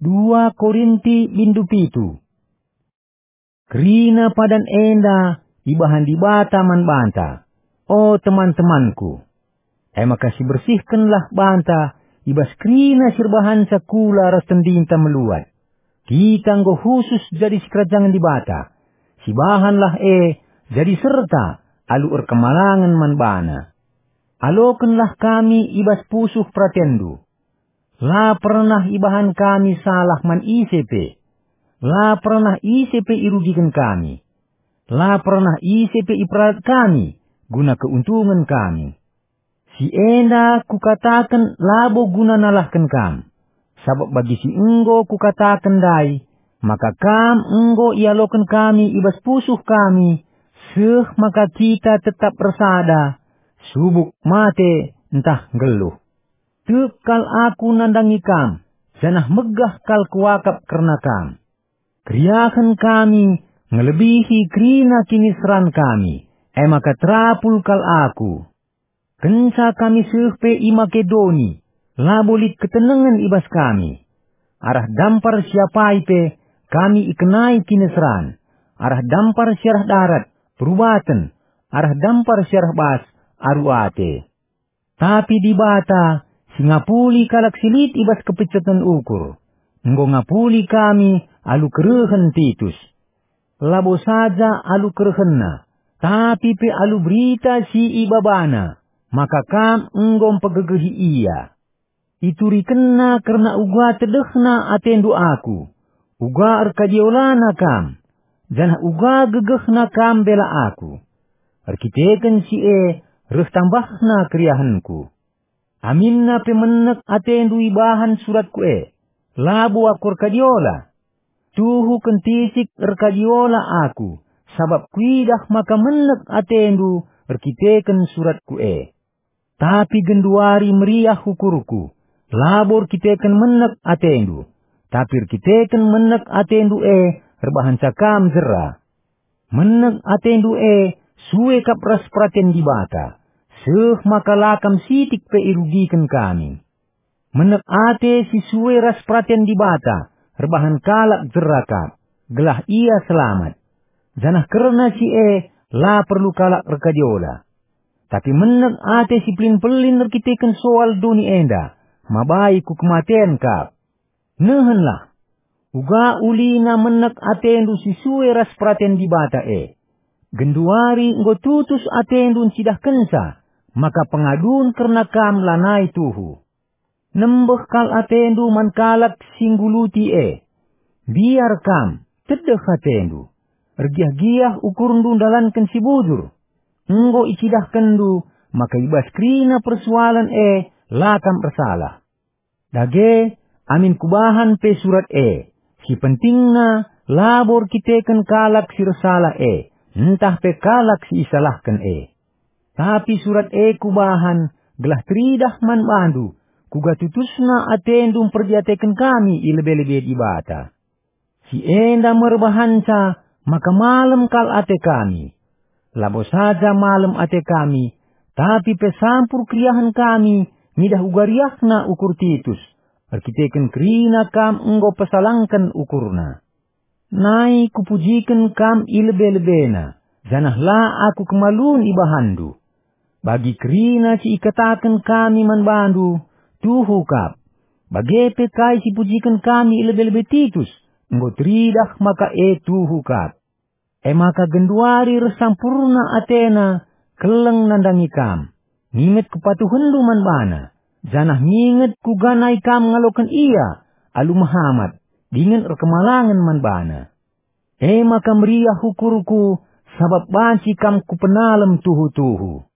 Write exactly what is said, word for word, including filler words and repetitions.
Dua Korinti bindu pitu. Kerina padan enda ibahan Dibata man banta, o teman-temanku. E maka sibersihkenlah banta i bas kerina si erbahanca kula ras tendinta meluat. Kita enggo khusus jadi sikerajangen Dibata. Sibahanlah e jadi serta alu erkemalangen man baNa. Alokenlah kami i bas pusuh peratenndu. La pernah ibahan kami salah man ise pe. La pernah ise pe irugiken kami. La pernah ise pe iperalat kami guna keuntungen kami. Si enda kukataken labo guna nalahken kam, sabap bagi si enggo kukataken ndai, maka kam enggo ialoken kami i bas pusuh kami, seh maka kita tetap ersada, subuk mate ntah nggeluh. Tek kal aku nandangi kam, janah megah kal kuakap kerna kam. Keriahen kami ngelebihi kerina kiniseran kami, e maka terapul kal aku. Kenca kami seh pe i Makedoni, labo lit ketenengen i bas kami. Arah dampar si apai pe kami ikenai kiniseran, arah dampar si arah darat, perubaten, arah dampar si arah bas, aru ate. Tapi Dibata, si ngapuli kalak si lit i bas kepiceten ukur, enggo ngapuli kami alu kerehen Titus. Labo saja alu kerehenna, tapi pe alu berita si ibabana, maka kam enggo mpegegehi ia. Iturikenna kerna uga tedehna atendu aku, uga erkadiolana kam, janah uga gegehna kam mbela aku. Erkiteken si e reh tambahna keriahenku. Aminna pe menek atendu ibahan suratku e, labo aku erkadiola. Tuhu kentisik erkadiola aku, sabap kuidah maka menek atendu erkiteken suratku e. Tapi genduari meriah ukurku, labo erkiteken menek atendu, tapi erkiteken menek atendu e erbahanca kam jera. Menek atendu e sue kap ras peraten Dibata, seh maka la kam sitik pe irugiken kami. Menek ate si sue ras peraten Dibata erbahan kalak jera kap, gelah ia selamat. Janah kerna si e la perlu kalak erkadiola. Tapi menek ate si pelin-pelin erkiteken soal doni enda, mabai ku kematen kap. Nehenlah, uga ulina menek atendu si sue ras peraten Dibata e. Genduari enggo tutus atendu ncidahkenca maka pengadun kerna kam lanai tuhu. Nembeh kal atendu man kalak si ngguluti e. Biar kam, tedeh atendu. Ergiah-giah ukurndu ndalanken si bujur. Enggo icidahkenndu maka i bas kerina persoalen e la kam ersalah. Dage, amin kubahan pe surat e, si pentingna labo erkiteken kalak si ersalah e, ntah pe kalak si isalahken e. Tapi surat e kubahan gelah teridah man bandu, kuga tutusna atendu mperdiateken kami i lebe-lebe Dibata. Si enda me erbahanca maka malem kal ate kami. Labo saja malem ate kami, tapi pe sampur keriahen kami ngidah uga riahna ukur Titus, erkiteken kerina kam enggo pesalangken ukurna. Nai kupujiken kam i lebe-lebena, janah la aku kemalun ibahanndu. Bagi kerina si ikataken kami man bandu, tuhu kap. Bage pe kai si pujiken kami i lebe-lebe Titus, enggo teridah maka e tuhu kap. E maka genduari reh sampurna atena keleng nandangi kam, nginget kepatuhenndu man bana, janah nginget kuga nai kam ngaloken ia alu mehamat dingen erkemalangen man bana. E maka meriah ukurku, sabap banci kam kupenalem tuhu-tuhu.